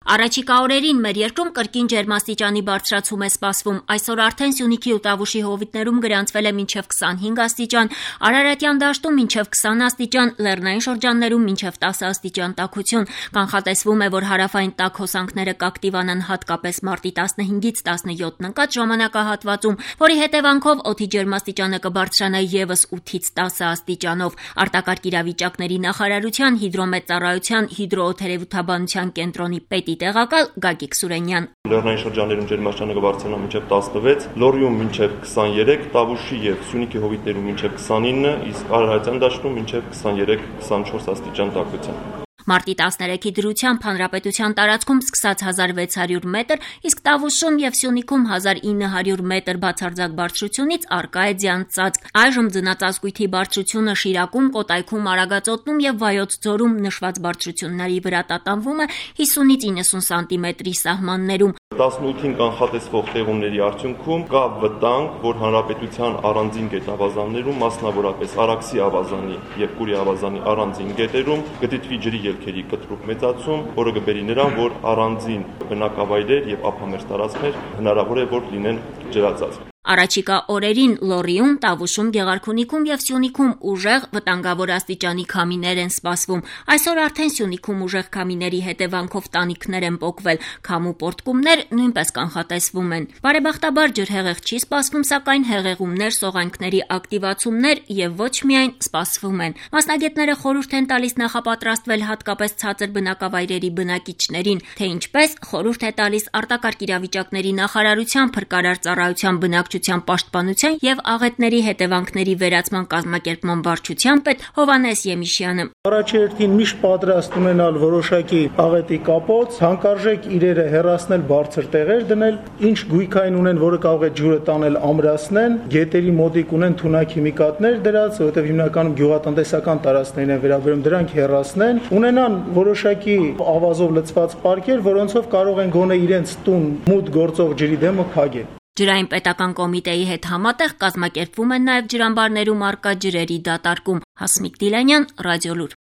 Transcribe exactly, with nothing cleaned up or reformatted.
Առաջիկա օրերին մեր երկրում կրկին ջերմաստիճանի բարձրացում է սպասվում։ Այսօր արդեն Սյունիքի ու Տավուշի հովիտներում գրանցվել է մինչև քսանհինգ աստիճան, Արարատյան դաշտում մինչև քսան աստիճան, լեռնային շրջաններում մինչև տասը աստիճան տաքություն։ Կանխատեսվում է, որ հարավային տաք հոսանքները կակտիվանան հատկապես մարտի տասնհինգից տասնյոթ ընկած ժամանակահատվածում, որի հետևանքով օդի ջերմաստիճանը կբարձրանա ևս ութից տասը աստիճանով։ Արտակարգ իրավիճակների նախարարության հիդրոմետեորոլոգիական հիդրոօդերևութաբանության կենտրոնի պետի տեղակալ Գագիկ Սուրենյան։ Լեռնային շրջաններում ջերմաստիճանը կբարձրանա մինչև տասնվեց, Լոռիում մինչև քսաներեք, Տավուշի եւ Սյունիքի հովիտներում մինչև քսանինը, իսկ Արարատյան դաշտում մինչև քսաներեք քսանչորս աստիճան տաքություն։ Մարտի տասներեքի դրությամբ հանրապետության տարածքում սկսած հազար վեց հարյուր մետր, իսկ Տավուշում եւ Սյունիքում հազար ինը հարյուր մետր բացարձակ բարձրությունից առկա է ձյան ծածկ։ Այժմ ձնածածկույթի բարձրությունը Շիրակում, Կոտայքում, Արագածոտնում եւ Վայոց ձորում նշված բարձրությունների վրա տատանվում է հիսունից իննսուն սանտիմետրի սահմաններում։ տասնութին կանխատեսվող տեղումների արդյունքում կա վտանգ, որ հանրապետության առանձին գետավազաններում, մասնավորապես Արաքսի ավազանի եւ Կուրի ավազանի առանձին գետերում գտիտվի ջրի ելքերի կտրուկ մեծացում, որը կբերի նրան, որ առանձին բնակավայրեր եւ ափամերձ տարածքներ հնարավոր է որ լինեն ջրածածկ։ Առաջիկա օրերին Լոռիում, Տավուշում, Գեղարքունիքում եւ Սյունիքում ուժեղ վտանգավոր աստիճանի քամիներ են սպասվում։ Այսօր արդեն Սյունիքում ուժեղ քամիների հետևանքով տանիքներ են պոկվել, քամու պոռթկումներ նույնպես կանխատեսվում են։ Բարեբախտաբար ջրհեղեղ չի սպասվում, սակայն հեղեղումներ, սողանքների ակտիվացումներ եւ ոչ միայն սպասվում են։ Մասնագետները խորհուրդ են տալիս նախապատրաստվել հատկապես ցածր բնակավայրերի բնակիչներին, թե ինչպես խորհուրդ է տալիս արտակարգ իրավիճակների նախարարության փրկարար ծառայության բնակչության պաշտպանության եւ աղետների հետևանքների վերացման կազմակերպման վարչության պետ Հովհաննես Եմիշյանը։ Առաջերտին միշտ պատրաստ ունենալ որոշակի աղետի կապոց, հանկարժեք իրերը հեռացնել բարձր տեղեր դնել, ինչ գույքային ունեն, որը կարող է ջուրը տանել, ամրացնեն, գետերի մոտիկ ունեն թունաքիմիկատներ դրած, որովհետեւ հիմնականում գյուղատնտեսական տարածքներին են վերաբերում, դրանք հեռացնեն, ունենան որոշակի ավազով լցված պարկեր, որոնցով կարող են գոնե իրենց տուն մուտք գործող ջրի դեմը փակել։ Ջրային պետական կոմիտեի հետ համատեղ կազմակերպվում են նաև ջրամբարներում առկա ջրերի դատարկում։ Հասմիկ Դիլանյան, Ռադիոլուր։